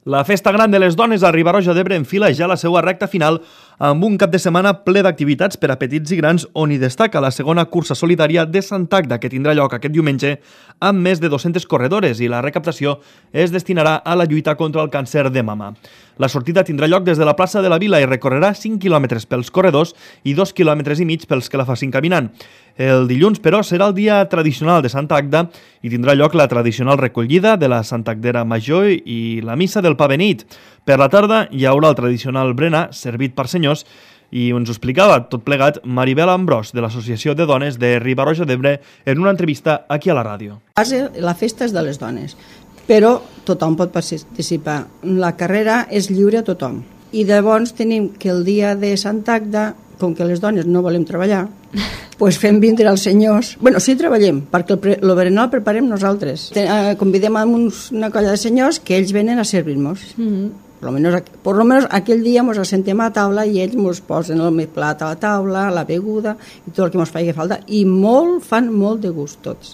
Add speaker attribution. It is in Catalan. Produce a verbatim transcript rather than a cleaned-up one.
Speaker 1: La Festa Gran de les Dones a Riba-roja d'Ebre enfila ja la seva recta final amb un cap de setmana ple d'activitats per a petits i grans on hi destaca la segona cursa solidària de Sant Agda que tindrà lloc aquest diumenge amb més de dues-centes corredores i la recaptació es destinarà a la lluita contra el càncer de mama. La sortida tindrà lloc des de la plaça de la Vila i recorrerà cinc quilòmetres pels corredors i dos quilòmetres i mig pels que la facin caminant. El dilluns, però, serà el dia tradicional de Santa Agda i tindrà lloc la tradicional recollida de la Santa Agdera Major i la missa del Pa Beneit. Per la tarda hi haurà el tradicional berenar servit per senyors i ens ho explicava tot plegat Maribel Ambrós de l'Associació de Dones de Riba-roja d'Ebre en una entrevista aquí a la ràdio.
Speaker 2: La festa és de les dones, però tothom pot participar. La carrera és lliure a tothom. I llavors tenim que el dia de Santa Agda, com que les dones no volem treballar, doncs fem vindre els senyors. Bueno, sí treballem, perquè el, el berenar el preparem nosaltres. Convidem a uns, una colla de senyors que ells venen a servir-nos. Mm-hmm. Por lo menos, por lo menos aquell dia ens assentem a la taula i ells ens posen el més plat a la taula, la beguda i tot el que ens faci falta. I molt, fan molt de gust tots.